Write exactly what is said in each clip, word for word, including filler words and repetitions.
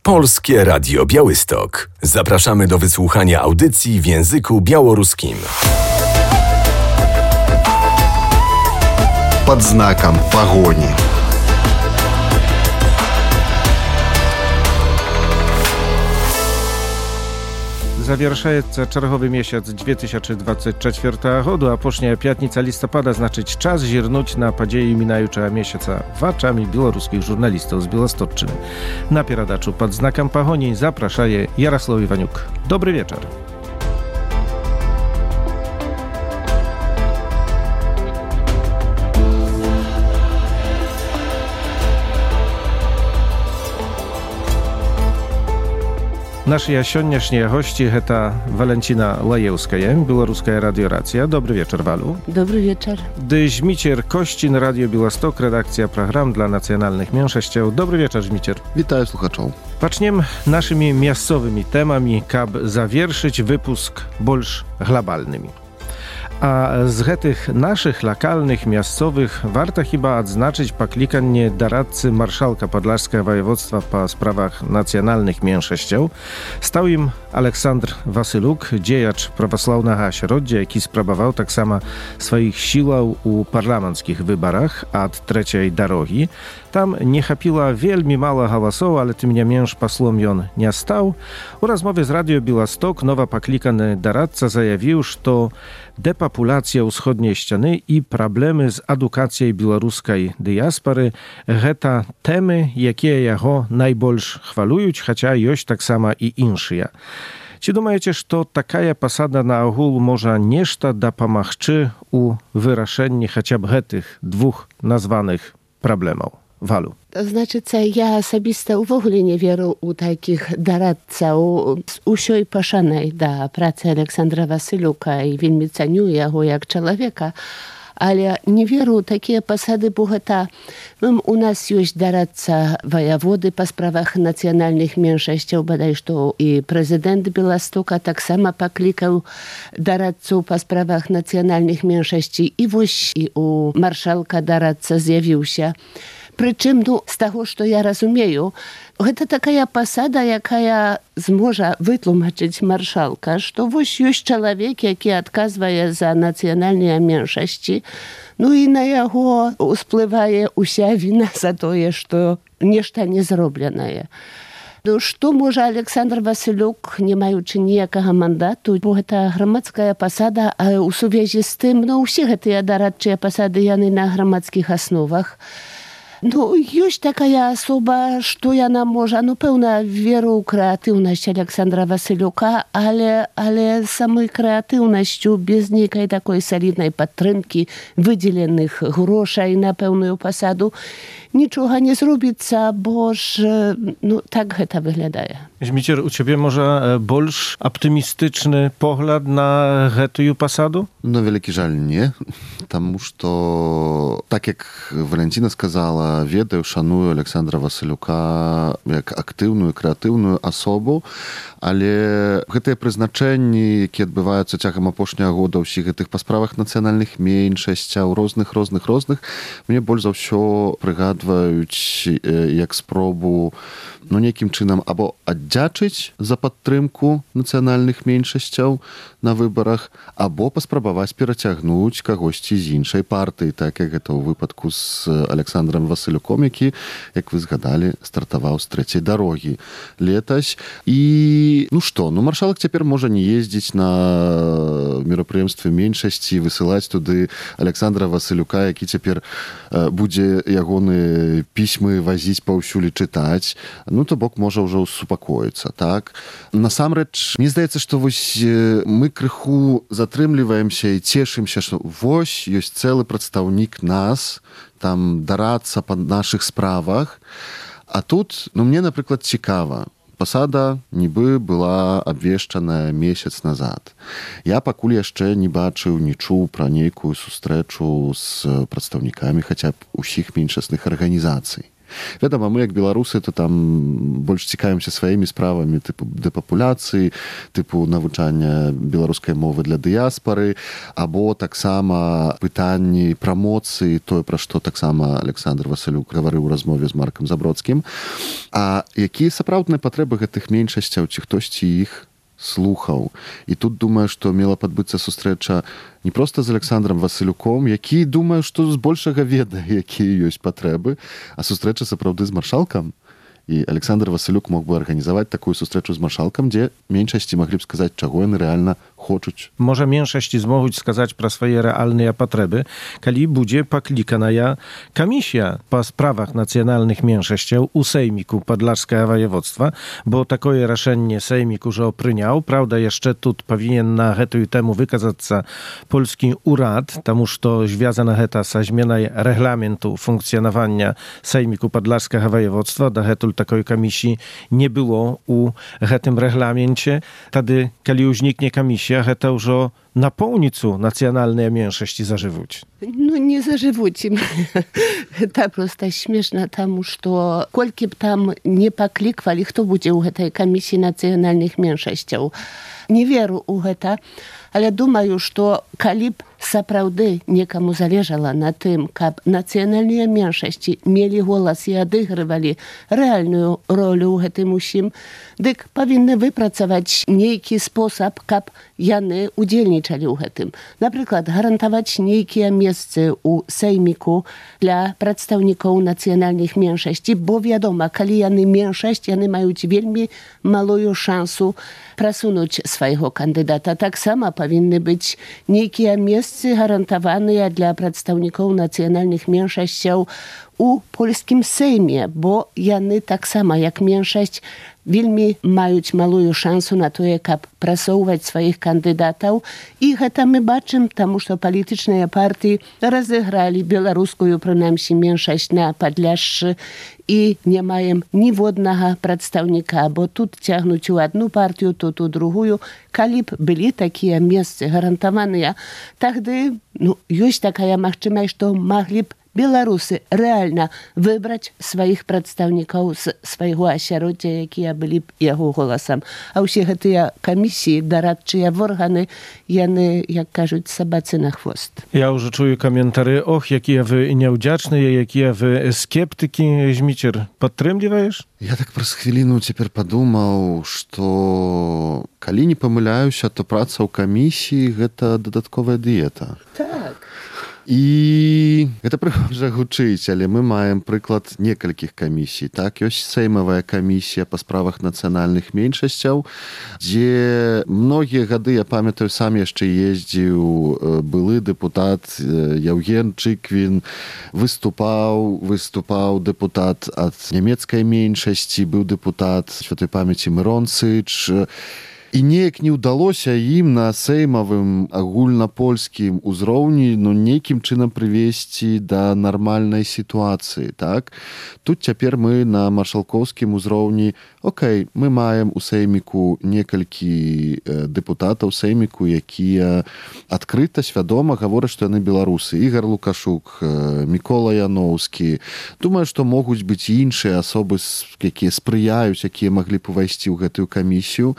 Polskie Radio Białystok. Zapraszamy do wysłuchania audycji w języku białoruskim. Pod znakiem pogoni. Zawieraється черговий місяць две тысячи двадцать четвёртого года, а пошняя пятница листопада значить час зірнуть на події мінаючого місяця вачами білоруських журналістів з Білосточчини. На передачу «Под знаком погони» запрошає Ярослав Іванюк. Добрий вечір. Nasze sjódnieżnie gości to Walentina Lajewskaja, Białoruska Radioracja. Dobry wieczór, Walu. Dobry wieczór. Żmicier Kościn, Radio Białystok, redakcja program dla nacjonalnych mniejszości. Dobry wieczór, Żmicier. Witaj słuchaczom. Zaczniem naszymi miastowymi temami, kab zawierszyć wypusk bolsz globalnymi. A z tych naszych lokalnych, miastowych warto chyba odznaczyć poklikanie doradcy marszałka Podlaskiego Województwa po sprawach nacjonalnych mniejszości. Stał im Aleksandr Wasyluk, dziejacz prawosławnego środzia, jaki sprawował tak samo swoich sił u parlamenckich wyborach od trzeciej drogi. Tam nie chapiła wielmi mało głosów, ale tym nie mniejsz posłom on nie stał. U rozmowie z Radio Białystok nowa poklikany doradca zajawił, że depopulacja wschodniej ściany i problemy z edukacją białoruskiej diaspory to temy, jakie jego najbolsz chwalują, chociaż jest tak samo i insze. Czy думаете, że taka posada na ogół może nieszta da pomagczy u wyraszeniu chociaż tych dwóch nazwanych problemów? Walu. To znaczy, co ja osobiście w ogóle nie wierzę u takich doradców z usioj paszanej do pracy Aleksandra Wasyluka i wielmi ceniuję go jak człowieka, ale nie wierzę u takie posady, bo to u nas jest doradca wojewody po sprawach nacjonalnych mniejszości, bodaj to i prezydent Białostoka tak samo poklikał doradców po sprawach nacjonalnych mniejszości i właśnie u marszałka doradca zjawił się. Причым, ну, з таго, што я разумею, гэта такая пасада, якая зможа вытлумачыць маршалка, што вось ёсць чалавек, які адказвае за нацыянальныя меншасці, ну і на яго ўсплывае ўся віна за тое, што нешта не зробленае. Ну, што можа Александр Васылюк, не маючы ніякага мандату, бо гэта грамадская пасада, а ў сувязі з тым, ну, усе гэтыя дорадчыя пасады, яны на грамадскіх асновах. Ну, ёсць такая асоба, што яна можа, ну, пэўна, веру ў крэатыўнасць Александра Васылюка, але, але самой крэатыўнасцю, без нейкай такой саліднай падтрымкі, выдзеленых грошай на пэўную пасаду, нічога не зробіцца, бо ж, ну, так гэта выглядае. Żmicier, u ciebie może bolsz optymistyczny pogląd na гэтую посаду? No, wielki żal nie. Тому что, так як Валентина сказала, ведаю, шаную Александра Васылюка як актыўную, крэатыўную асобу, але гэтыя прызначэнні, якія адбываюцца цягам апошняга года ўсіх гэтых па справах нацыянальных меншасцяў, розных, розных, розных, мне больш за ўсё прыгадваюць як спробу, ну, нейкім чынам або аддзячыць за падтрымку нацыянальных меншасцяў на выбарах, або паспрабаваць перацягнуць кагосьці з іншай партыі, так як гэта ў выпадку з Александром Васылюком, які, як вы згадалі, стартаваў з трэцяй дарогі летась. І, ну што, ну, маршалак цяпер можа не ездзіць на мерапрыемствы меншасці, высылаць туды Александра Васылюка, які цяпер будзе ягоны пісьмы вазіць паўсюль чытаць. Ну, то бок можа ўжо супакоіцца, так? Насамрэч, мне здаецца, што вось мы крыху затрымліваемся і цешымся, што вось ёсць цэлы прадстаўнік нас, там дарацца па нашых справах. А тут, ну, мне, напрыклад, цікава. Пасада нібы была абвешчаная месяц назад. Я пакуль яшчэ не бачыў, не чуў пра нейкую сустрэчу з прадстаўнікамі хаця б усіх меншасных арганізацый. Вядома, мы, як беларусы, то там больш цікавімся сваімі справамі тыпу дэпапуляцыі, тыпу навучання беларускай мовы для дыяспары, або таксама пытанні прамоцыі, тое, пра што таксама Александр Васылюк гаварыў у размове з Маркам Забродскім. А якія сапраўдныя патрэбы гэтых меншасцяў, ці хтосьці іх слухаў. І тут думаю, што мела падбыцца сустрэча не проста з Александром Васылюком, які, думаю, што збольшага ведае, якія ёсць патрэбы, а сустрэча сапраўды з маршалкам. І Александр Васылюк мог бы арганізаваць такую сустрэчу з маршалкам, дзе меншасці маглі б сказаць, чаго яны рэальна хочуць. Можа, меншасці змогуць сказаць пра свае рэальныя патрэбы, калі будзе пакліканая камісія па справах нацыянальных меншасцяў у Сейміку Падлажскага ваяводства, бо такое рашэнне Сеймік ужо прыняў. Праўда, яшчэ тут павінен на гэтую тэму выказацца польскі ўрад, таму што звязана гэта са зменай рэгламенту функцыянавання Сейміку Падлажскага ваяводства. Дагэтуль такой камісіі не было у гэтым рэгламенце. Тады, калі ўзнікне камісія, гэта ўжо напоўніцу нацыянальныя меншасці зажывуць. Ну, не зажывуць. Гэта проста смешна, таму што колькі б там не пакліквалі, хто будзе ў гэтай камісіі нацыянальных меншасцяў. Не веру ў гэта, але думаю, што калі б сапраўды некаму залежала на тым, каб нацыянальныя меншасці мелі голас і адыгрывалі рэальную ролю ў гэтым усім, дык павінны выпрацаваць нейкі спосаб, каб яны удзельнічалі ў гэтым. Напрыклад, гарантаваць нейкія месцы ў Сейміку для прадстаўнікоў нацыянальных меншасці, бо, вядома, калі яны меншасць, яны маюць вельмі малую шансу прасунуць свайго кандыдата. Таксама павінны быць нейкія месцы гарантаваныя для прадстаўнікоў нацыянальных меншасцяў у польскім Сейме, бо яны таксама, як меншасць, вельмі маюць малую шансу на тое, каб прасоўваць сваіх кандыдатаў. І гэта мы бачым, таму што палітычныя партыі разыгралі беларускую, прынамсі, меншасць на Падляшшы і не маем ніводнага прадстаўніка, бо тут цягнуць у адну партыю, тут у другую. Калі б былі такія месцы гарантаваныя, тагды ну, ёсць такая магчымасць, што маглі б беларусы рэальна выбраць сваіх прадстаўнікоў з свайго асяроддзя, якія былі б яго голасам. А ўсе гэтыя камісіі, дарадчыя органы, яны, як кажуць, сабацы на хвост. Я ўжо чую каментары: ох, якія вы няўдзячныя, якія вы скептыкі. Зміцер, падтрымліваеш? Я так праз хвіліну цяпер падумаў, што калі не памыляюся, то праца ў камісіі — гэта дадатковая дыета. Так. І гэта прыгожа гучыць, але мы маем прыклад некалькіх камісій. Так, ёсць Сеймавая камісія па справах нацыянальных меншасцяў, дзе многія гады, я памятаю, сам яшчэ ездзіў былы дэпутат Яўген Чыквін, выступаў, выступаў дэпутат ад нямецкай меншасці, быў дэпутат святой памяці Мірон Сыч. І неяк не ўдалося ім на сеймавым агульнапольскім узроўні ну, нейкім чынам прывесці да нармальнай сітуацыі. Так? Тут цяпер мы на маршалкоўскім узроўні, окей, мы маем у Сейміку некалькі дэпутатаў Сейміку, якія адкрыта, свядома гавораць, што яны беларусы. Ігар Лукашук, Мікола Яноўскі. Думаю, што могуць быць іншыя асобы, якія спрыяюць, якія маглі б увайсці ў гэтую камісію.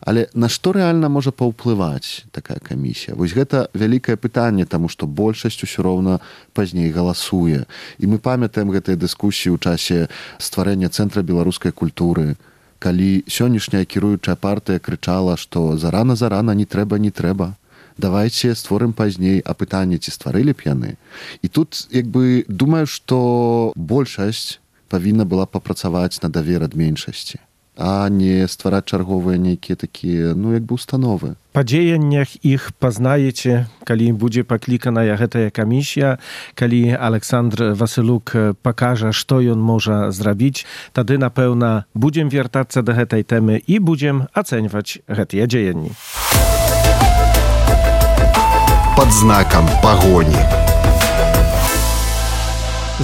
Але на што рэальна можа паўплываць такая камісія? Вось гэта вялікае пытанне, таму што большасць усё роўна пазней галасуе. І мы памятаем гэтыя дыскусіі ў часе стварэння Цэнтра беларускай культуры, калі сённяшняя кіруючая партыя крычала, што зарана-зарана, не трэба, не трэба. Давайце створым пазней, а пытанне, ці стварылі б яны. І тут, як бы, думаю, што большасць павінна была папрацаваць на давер ад меншасці, а не ствараць чарговыя нейкія такія, ну, як бы установы. Па дзеяннях іх пазнаеце, калі будзе пакліканая гэтая камісія, калі Александр Васылюк пакажа, што ён можа зрабіць, тады, напэўна, будзем вяртацца да гэтай тэмы і будзем ацэньваць гэтыя дзеянні. Пад знакам пагоні.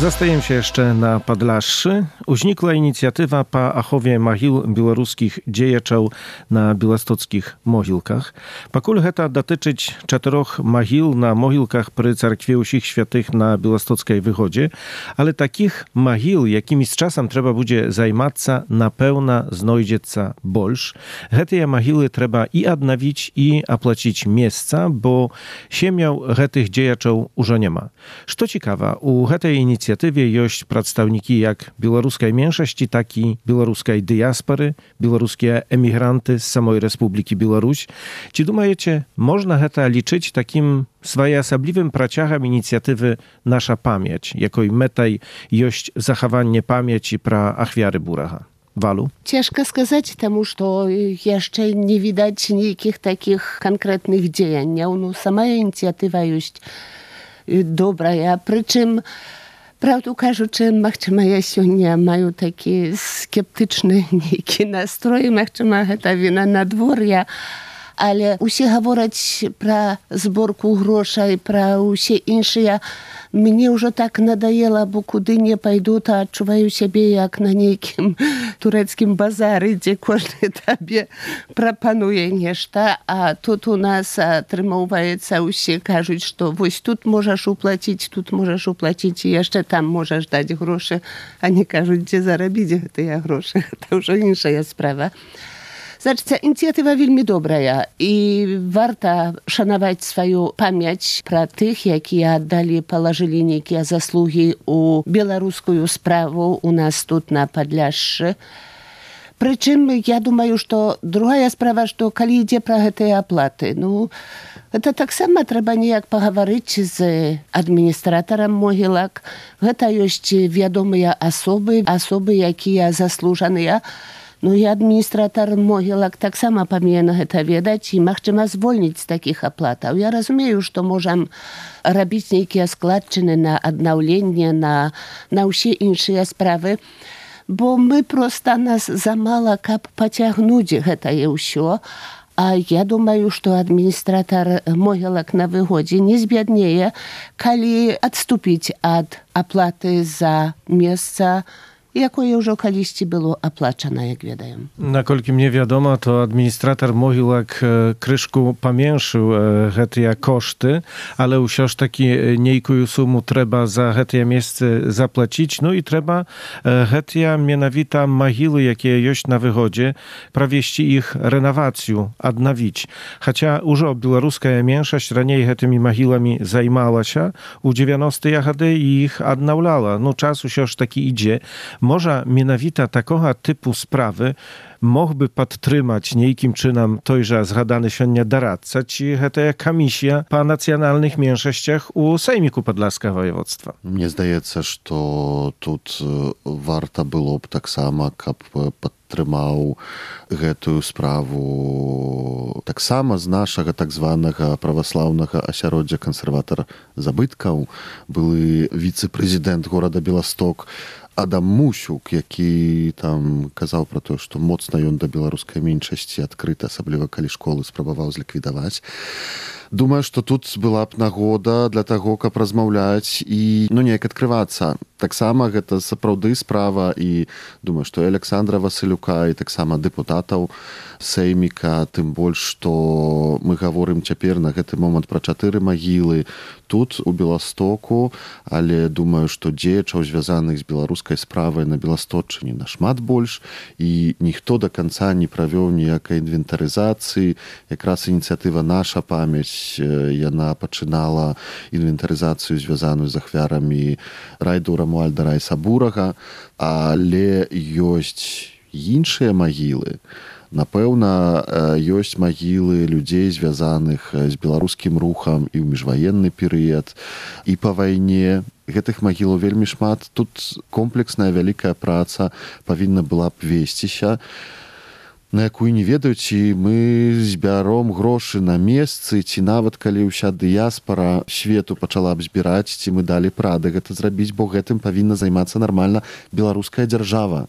Zostajemy się jeszcze na Podlasszy. Uznikła inicjatywa po achowie mogił białoruskich dziejeczał na białostockich mogilkach. Pakul heta dotyczyć czterech mogił na mogilkach przy Cerkwieuszych Świętych na białostockiej wychodzie, ale takich mogił, jakimi z czasem trzeba będzie zajmać, na pełna znajdziecie больш. Hete mogiły trzeba i odnowić, i opłacić miejsca, bo siemiał hetych dziejeczał już nie ma. Co ciekawe, u hetej inicjatywy inicjatywie jest przedstawniki jak białoruskiej mniejszości, tak i białoruskiej diaspory, białoruskie emigranty z samej Republiki Białoruś. Czy думаете, można heta liczyć takim swojosobliwym praciachem inicjatywy Nasza Pamięć, jako i metaj jest zachowanie pamięci pra achwiary Buracha? Walu? Ciężko сказать, тому что jeszcze nie widać никаких takich konkretnych działań. No, sama inicjatywa jest dobra, przy czym prawdę кажучи, махчима я сёння маю такі скептычны нейкі настрой, махчима гэта віна надвор'я, але усе гавораць пра зборку грошай, пра ўсе іншыя. Мне ўжо так надоело, бо куды не пайду, то адчуваю сябе як на нейкім турэцкім базары, дзе кожны табе прапануе нешта, а тут у нас атрымоўваецца, усе кажуць, што вось тут можаш уплаціць, тут можаш уплаціць, і яшчэ там можаш даць грошы, а не кажуць, дзе зарабіць гэтыя грошы. Гэта ўжо іншая справа. Значыць, ініцыятыва вельмі добрая, і варта шанаваць сваю памяць пра тых, якія аддалі, палажылі нейкія заслугі ў беларускую справу у нас тут на Падляшшы. Прычым, я думаю, што другая справа, што калі ідзе пра гэтыя аплаты, ну, гэта таксама трэба неяк пагаварыць з адміністратарам могілак. Гэта ёсць вядомыя асобы, асобы, якія заслужаныя. Ну і адміністратар могілак таксама павінен гэта ведаць і, магчыма, звольніць з такіх аплатаў. Я разумею, што можам рабіць нейкія складчыны на аднаўленне, на, на ўсе іншыя справы, бо мы проста нас замала, каб пацягнуць гэтае ўсё. А я думаю, што адміністратар могілак на выгодзе не збяднее, калі адступіць ад аплаты за месца, якое ўжо калісьці было аплачана, як ведаем. Наколькі мне вядома, то адміністратар могілак крышку паменшыў гэтыя кошты, але ўсё ж такі нейкую суму трэба за гэтыя месцы заплаціць. Ну і трэба гэтыя менавіта магілы, якія ёсць на выгодзе, правесці іх рэнавацыю, аднавіць. Хаця ўжо беларуская меншасць раней гэтымі магіламі займалася, у дзевяностыя гады і іх аднаўляла. Ну, час усё ж такі ідзе. Może mianowita takoga typu sprawy mógłby podtrzymać niejkim czynom tojże zgadany siądnia doradca, ci hete komisja po nacjonalnych mniejszościach u Sejmiku Podlaskiego Województwa. Mnie zdaje się, że тут warto byłoby tak samo, aby podtrzymał гэтую sprawę tak samo z naszego tak zwanego prawosławnego ośrodka konserwator zabytków. Były wiceprezydent города Białystok Адам Мусюк, які там казаў пра тое, што моцна ён да беларускай меншасці адкрыта, асабліва калі школы спрабаваў зліквідаваць. Думаю, што тут была б нагода для таго, каб размаўляць і, ну, неяк адкрывацца. Таксама гэта сапраўды справа, і думаю, што і Александра Васылюка, і таксама дэпутатаў Сейміка, тым больш, што мы гаворым цяпер на гэты момант пра чатыры магілы тут, у Беластоку, але думаю, што дзеячаў, звязаных з беларускай справай на Беласточчыне, нашмат больш, і ніхто да канца не правёў ніякай інвентарызацыі. Якраз ініцыятыва «Наша памяць», яна пачынала інвентарызацыю, звязаную з ахвярамі райду Рамуальда Райсабурага, але ёсць іншыя магілы. Напэўна, ёсць магілы людзей, звязаных з беларускім рухам і ў міжваенны перыяд, і па вайне. Гэтых магілаў вельмі шмат. Тут комплексная вялікая праца павінна была б весціся, на якую не ведаю, ці мы збяром грошы на месцы, ці нават калі ўся дыяспара свету пачала б збіраць, ці мы далі прады гэта зрабіць, бо гэтым павінна займацца нармальна беларуская дзяржава.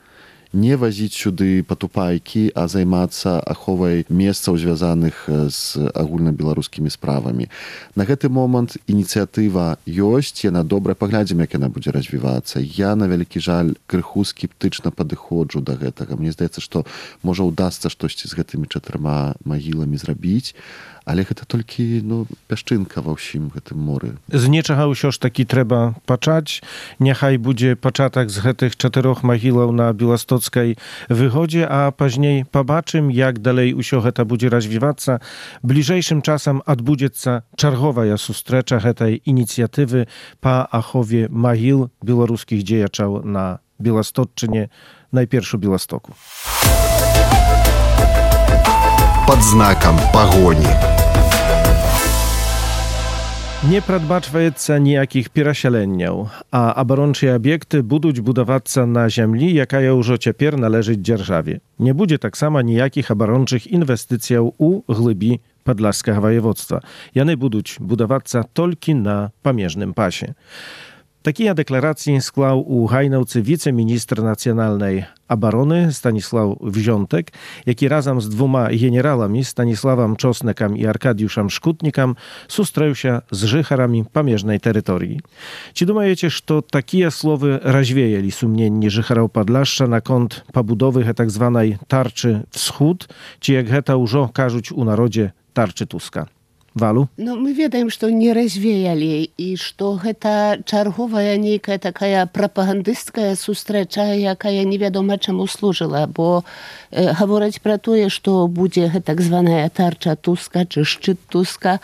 не вазіць сюды патупайкі, а займацца аховай месцаў, звязаных з агульнабеларускімі справамі. На гэты момант ініцыятыва ёсць, яна добра, паглядзім, як яна будзе развівацца. Я, на вялікі жаль, крыху скептычна падыходжу да гэтага. Мне здаецца, што можа ўдасца штосьці з гэтымі чатырма магіламі зрабіць, але гэта толькі ну, пясчынка ва ўсім гэтым моры. З нечага ўсё ж такі трэба пачаць. Няхай будзе пачатак з гэтых чатырох магілаў на Беластоцкай выгодзе, а пазней пабачым, як далей усё гэта будзе развівацца. Бліжэйшым часам адбудзецца чарговая сустрэча гэтай ініцыятывы па ахове магіл беларускіх дзеячаў на Беластотчыне, найперш у Беластоку. Под знаком погони. Не прадбачваецца ніякіх перасяленняў, а абарончыя аб'екты будуць будавацца на зямлі, якая ўжо цяпер належыць дзяржаве. Не будзе таксама ніякіх абарончых інвестыцыяў у глыбі Падляшскага ваяводства. Яны будуць будавацца толькі на памежным пасе. Такія дэкларацыі склаў у Гайнаўцы віцэ-міністр нацыянальнай абароны Станіслаў Wziątek, які разам з двума генераламі Станіславам Чоснекам і Аркадіюшам Шкутнікам сустрэўся з жыхарамі памежнай тэрыторыі. Ці думаеце, што такія словы развеялі сумненні жыхараў Падляшша наконт пабудовы гэтак званай тарчы «Всход», ці як гэта ўжо кажуць у народзе тарчы Туска? Валу? Ну, мы ведаем, што не развеялі і што гэта чарговая нейкая такая прапагандысцкая сустрэча, якая невядома чаму служыла, бо э, гавораць пра тое, што будзе гэтак званая тарча Туска ці шчыт Туска,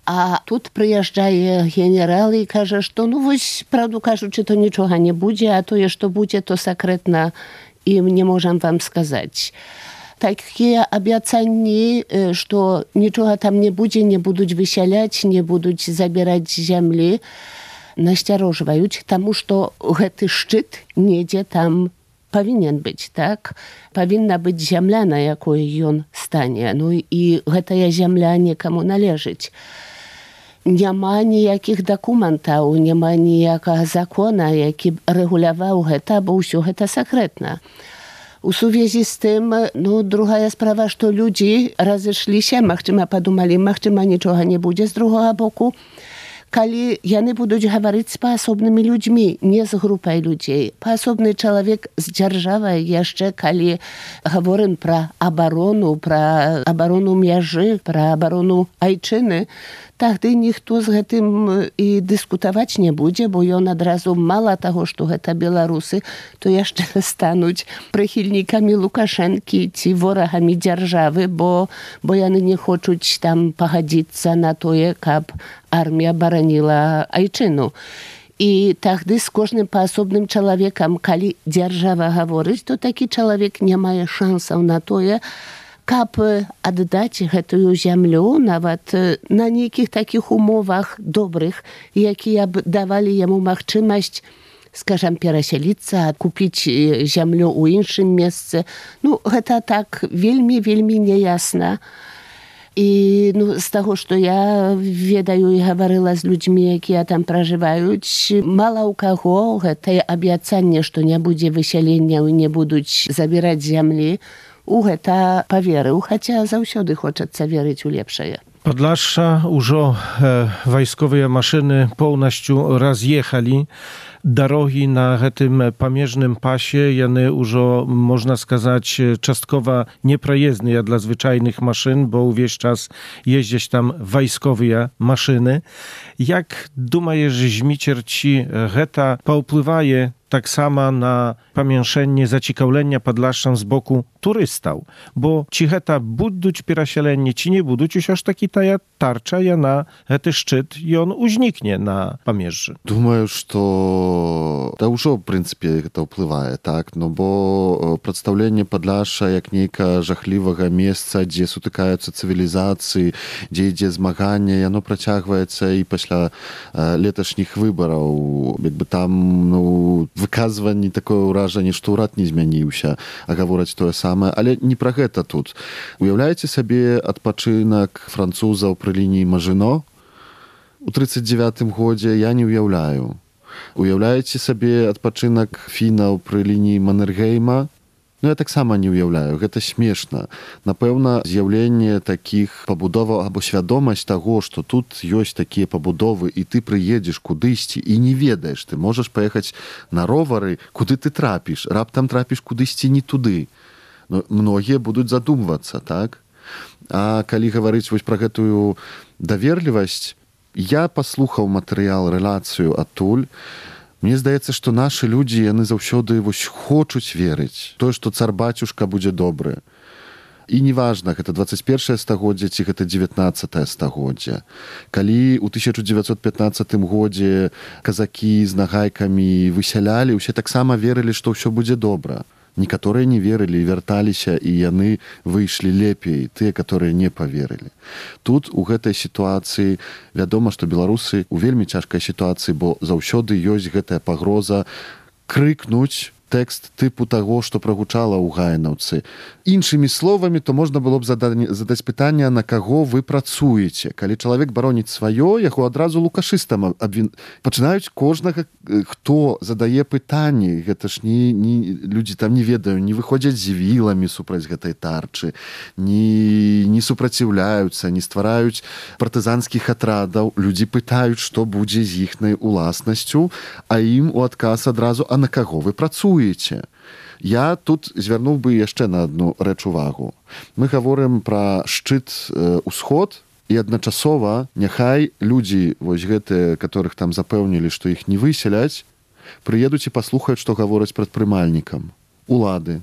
а тут прыязджае генерал і кажа, што ну вось, правду кажучы, то нічога не будзе, а тое, што будзе, то сакрэтна і не можам вам сказаць. Такія абяцанні, што нічога там не будзе, не будуць высяляць, не будуць забіраць зямлі, насцярожваюць, таму што гэты шчыт недзе там павінен быць, так? Павінна быць зямля, на якой ён стане. Ну і гэтая зямля некаму належыць. Няма ніякіх дакументаў, няма ніякага закона, які б рэгуляваў гэта, бо ўсё гэта сакрэтна. У сувязі з тым, ну, другая справа, што людзі разышліся, магчыма, падумалі, магчыма, нічога не будзе з другога боку, калі яны будуць гаварыць з паасобнымі людзьмі, не з групай людзей. Паасобны чалавек з дзяржавай яшчэ, калі гаворым пра абарону, пра абарону мяжы, пра абарону айчыны, тагды ніхто з гэтым і дыскутаваць не будзе, бо ён адразу мала таго, што гэта беларусы, то яшчэ стануць прыхільнікамі Лукашэнкі ці ворагамі дзяржавы, бо, бо яны не хочуць там пагадзіцца на тое, каб армія бараніла айчыну. І тагды з кожным паасобным чалавекам, калі дзяржава гаворыць, то такі чалавек не мае шансаў на тое, каб аддаць гэтую зямлю нават на нейкіх такіх умовах добрых, якія б давалі яму магчымасць, скажам, перасяліцца, купіць зямлю ў іншым месцы. Ну, гэта так вельмі-вельмі няясна. І ну, з таго, што я ведаю і гаварыла з людзьмі, якія там пражываюць, мала ў каго гэтае абяцанне, што не будзе высялення і не будуць забіраць зямлі, у гэта паверыў, хаця заўсёды хочацца верыць у лепшае. Падляшша ўжо э, вайсковыя машыны поўнасцю раз'ехалі. Дарогі на гэтым памежным пасе, яны ўжо, можна сказаць, часткова непраездныя для звычайных машын, бо ўвесь час ездзяць там вайсковыя машыны. Як думаеш, Зміцер, ці гэта паўплывае таксама на памяншэнне зацікаўлення Падляшшам з боку турыстаў? Бо ці гэта будуць перасяленні, ці не будуць, усё ж такі тая тарча, яна, гэты шчыт, ён узнікне на памежжы. Думаю, што да ўжо, в прынцыпе, гэта ўплывае, так? Ну, бо прадстаўленне Падляшша як нейка жахлівага месца, дзе сутыкаюцца цывілізацыі, дзе ідзе змаганне, яно працягваецца і пасля э, леташніх выбараў. Як бы там, ну, выказванні такое ўражанне, што ўрад не змяніўся, а гавораць тое самае. Але не пра гэта тут. Уяўляеце сабе адпачынак французаў пры лініі Мажино? У трыццаць дзевятым годзе я не ўяўляю. Уяўляеце сабе адпачынак фінаў пры лініі Маннергейма? Ну, я таксама не ўяўляю, гэта смешна. Напэўна, з'яўленне такіх пабудоваў або свядомасць таго, што тут ёсць такія пабудовы, і ты прыедзеш кудысьці і не ведаеш, ты можаш паехаць на ровары, куды ты трапіш, раптам трапіш кудысьці не туды. Ну, многія будуць задумвацца, так? А калі гаварыць вось пра гэтую даверлівасць, я паслухаў матэрыял, рэлацыю адтуль. Мне здаецца, што нашы людзі, яны заўсёды вось хочуць верыць. Тое, што цар-бацюшка будзе добры. І неважна, гэта дваццаць першае стагоддзе ці гэта дзевятнаццатае стагоддзе. Калі ў тысяча дзевяцьсот пятнаццатым годзе казакі з нагайкамі высялялі, усе таксама верылі, што ўсё будзе добра. Некаторыя не верылі і вярталіся, і яны выйшлі лепей, тыя, которые не паверылі. Тут, у гэтай сітуацыі, вядома, што беларусы ў вельмі цяжкай сітуацыі, бо заўсёды ёсць гэтая пагроза крыкнуць тэкст тыпу таго, што прагучала ў гаенаўцы. Іншымі словамі, то можна было б задаць пытанне, на каго вы працуеце. Калі чалавек бароніць сваё, яго адразу лукашыстам абвін... пачынаюць кожнага, хто задае пытанні. Гэта ж не, не... людзі там не ведаю, не выходзяць з віламі супраць гэтай тарчы, не, не супраціўляюцца, не ствараюць партызанскіх атрадаў. Людзі пытаюць, што будзе з іхнай уласнасцю, а ім у адказ адразу, а на каго вы працуеце? Я тут звярнуў бы яшчэ на адну рэч увагу. Мы гаворым пра шчыт э, усход, і адначасова няхай людзі, вось гэтыя, которых там запэўнілі, што іх не высяляць, прыедуць і паслухаюць, што гавораць прадпрымальнікам. Улады,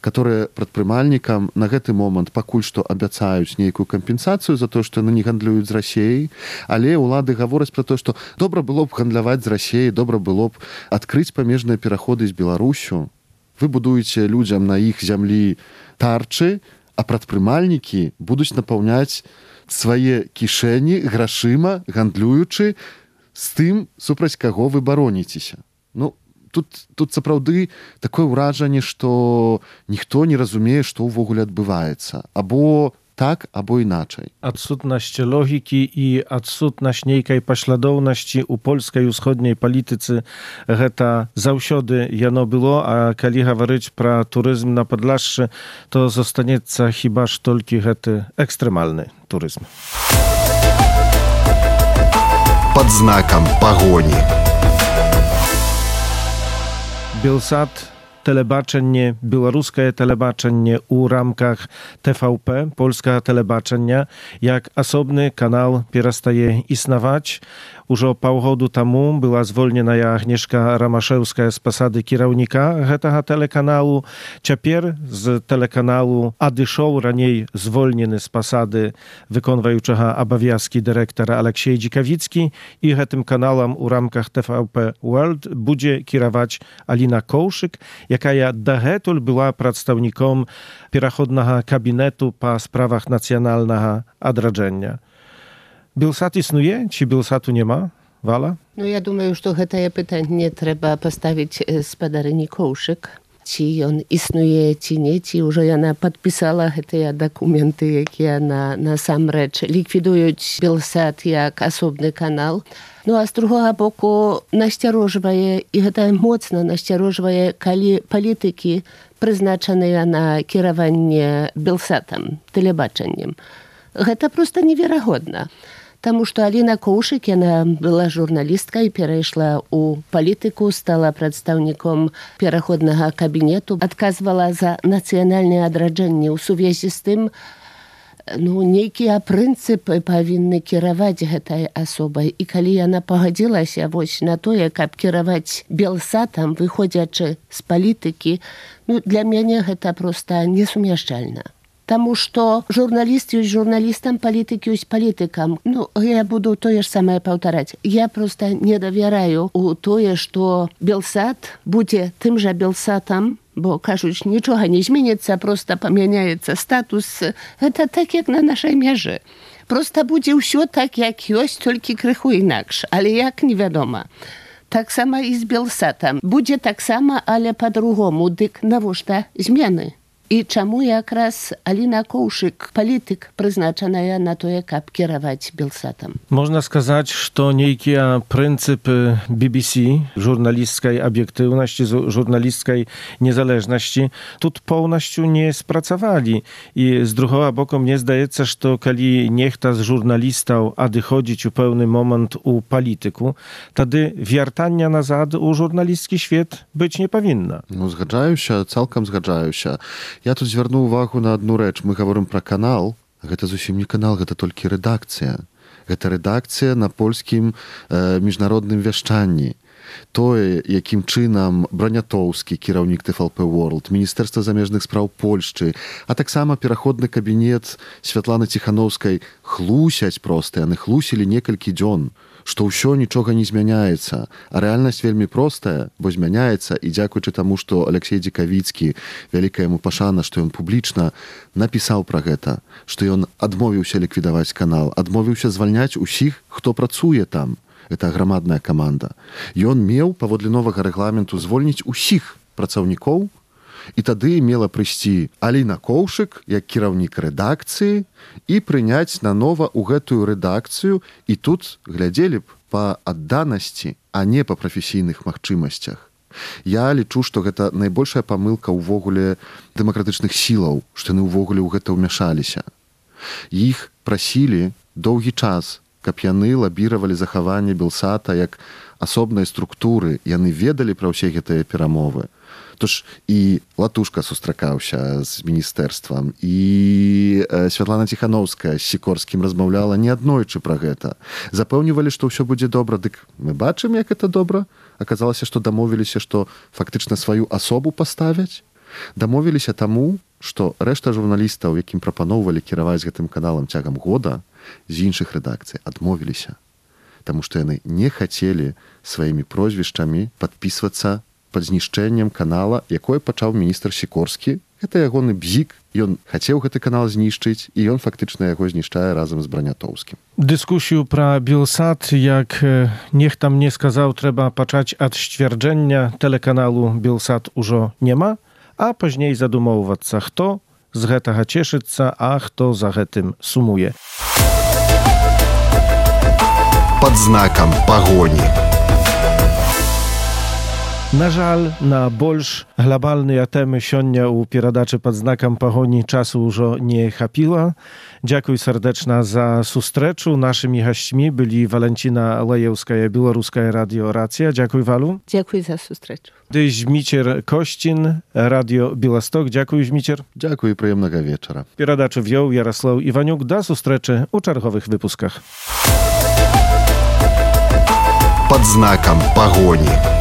которые прадпрымальнікам на гэты момант пакуль што абяцаюць нейкую кампенсацыю за тое, што яны не гандлююць з Расіяй, але ўлады гавораць пра тое, што добра было б гандляваць з Расіяй, добра было б адкрыць памежныя пераходы з Беларусю. Вы будуеце людзям на іх зямлі тарчы, а прадпрымальнікі будуць напаўняць свае кішэні грашыма, гандлюючы з тым, супраць каго вы бароніцеся. Ну, тут, тут сапраўды такое ўражанне, што ніхто не разумее, што ўвогуле адбываецца. Або так, або іначай. Адсутнасць логікі і адсутнасць нейкай паслядоўнасці ў польскай усходняй палітыцы гэта заўсёды яно было, а калі гаварыць пра турызм на Падляшшы, то застанецца хіба ж толькі гэты экстрэмальны турызм. Пад знакам пагоні. Белсат, telebaczenie, białoruskie telebaczenie u ramkach T V P, polska telebaczenia, jak osobny kanał przestaje istnieć. Już o półgodu temu była zwolniona Agnieszka Ramaszewska z posady kierownika tego telekanału. Ciapier z telekanału adyszał raniej zwolniony z posady wykonującego obowiązki dyrektora Aleksiej Dzikawicki i tym kanałem u ramkach T V P World będzie kierować Alina Kołszyk, jaka ja dahetul była przedstawnikiem pierochodnego kabinetu po sprawach nacjonalnego odradzenia. Bielsat istnieje? Czy Bielsatu nie ma? Wala? No ja думаю, што гэтае пытанне трэба паставіць спадарыні Коўшык. Ці ён існуе, ці не, ці ўжо яна падпісала гэтыя дакументы, якія на, насамрэч ліквідуюць Белсат як асобны канал. Ну а з другога боку насцярожвае, і гэта моцна насцярожвае, калі палітыкі прызначаныя на кіраванне Белсатам, тэлебачаннем. Гэта проста неверагодна. Таму што Аліна Коўшык, яна была журналісткай, перайшла ў палітыку, стала прадстаўніком пераходнага кабінету, адказвала за нацыянальнае адраджэнне. У сувязі з тым, ну, нейкія прынцыпы павінны кіраваць гэтай асобай. І калі яна пагадзілася вось на тое, каб кіраваць Белсатам, выходзячы з палітыкі, ну, для мяне гэта проста несумяшчальна. Таму што журналіст ёсць журналістам, палітык ёсць палітыкам. Ну, я буду тое ж самае паўтараць. Я проста не давяраю у тое, што Белсат будзе тым жа Белсатам, бо, кажуць, нічога не зменіцца, проста памяняецца статус. Гэта так, як на нашай мяжы. Проста будзе ўсё так, як ёсць, толькі крыху інакш. Але як, невядома. Таксама і з Белсатам. Будзе таксама, але па-другому. Дык навошта змены? I czemu якраз Alina Kołszyk, polityk, przeznaczona na to, jak kierować Belsatem? Można сказать, что некие принципы би би си, журналистской объективности, журналистской незалежности, тут полностью не спрацовали. И с другого боку, мне здається, что коли нехта з журналистов odchodzić у pewny moment u polityku, wtedy wiertania nazad u żurnalistski świat być nie powinna. Ну, згаджаюся, цалкам згаджаюся. Я тут звярну увагу на одну рэч. Мы говорим про канал. Гэта зусім не канал, гэта толькі рэдакцыя. Гэта рэдакцыя на польскім э, міжнародным вяшчанні. Тое, якім чынам Бранятоўскі, кіраўнік тэ эф эл пэ World, Міністэрства замежных спраў Польшчы, а таксама пераходны кабінет Святланы Ціханаўскай хлусяць проста, яны хлусілі некалькі дзён, што ўсё нічога не змяняецца. А рэальнасць вельмі простая, бо змяняецца, і дзякуючы таму, што Алексей Дзікавіцкі, вялікая яму пашана, што ён публічна напісаў пра гэта, што ён адмовіўся ліквідаваць канал, адмовіўся звальняць усіх, хто працуе там. Это грамадная каманда. Ён меў паводле новага рэгламенту звольніць усіх працаўнікоў, і тады мела прыйсці Аліна Коўшык, як кіраўнік рэдакцыі, і прыняць нанова ў гэтую рэдакцыю, і тут глядзелі б па адданасці, а не па прафесійных магчымасцях. Я лічу, што гэта найбольшая памылка ўвогуле дэмакратычных сілаў, што яны ўвогуле ў гэта ўмяшаліся. Іх прасілі доўгі час, каб яны лабіравалі захаванне Белсата як асобнай структуры. Яны ведалі пра ўсе гэтыя перамовы. Тож і Латушка сустракаўся з міністэрствам, і Святлана Ціханаўская з Сікорскім размаўляла неаднойчы пра гэта. Запэўнівалі, што ўсё будзе добра. Дык мы бачым, як это добра. Аказалася, што дамовіліся, што фактычна сваю асобу паставяць. Дамовіліся таму, што рэшта журналістаў, якім прапаноўвалі кіраваць гэтым каналам цягам года, з іншых рэдакцый адмовіліся, таму што яны не хацелі сваімі прозвішчамі падпісвацца пад знішчэннем канала, якое пачаў міністр Сікорскі. Гэта ягоны бзік, ён хацеў гэты канал знішчыць, і ён фактычна яго знішчае разам з Бранятоўскім. Дыскусію пра Белсат, як нехта мне сказаў, трэба пачаць ад сцвярджэння тэлеканалу Белсат ужо няма, а пазней задумоўвацца, хто з гэтага цешыцца, а хто за гэтым сумуе. Пад знакам пагоні. На жаль, на больш глобальныя тэмы сёння ў перадачы пад знакам пагоні часу ўжо не хапіла. Дзякуй сардэчна за сустрэчу. Нашымі гасцьмі былі Валентина Лаеўская, Беларуская радио Рацыя. Дзякуй, Валу. Дзякуй за сустрэчу. Ды Зміцер Косцін, радио Беласток. Дзякуй, Зміцер. Дзякуй і прыемнага вечара. Перадачу вёў Ярослаў Іванюк. Да сустрэчы ў чарговых выпусках. Пад знакам пагоні.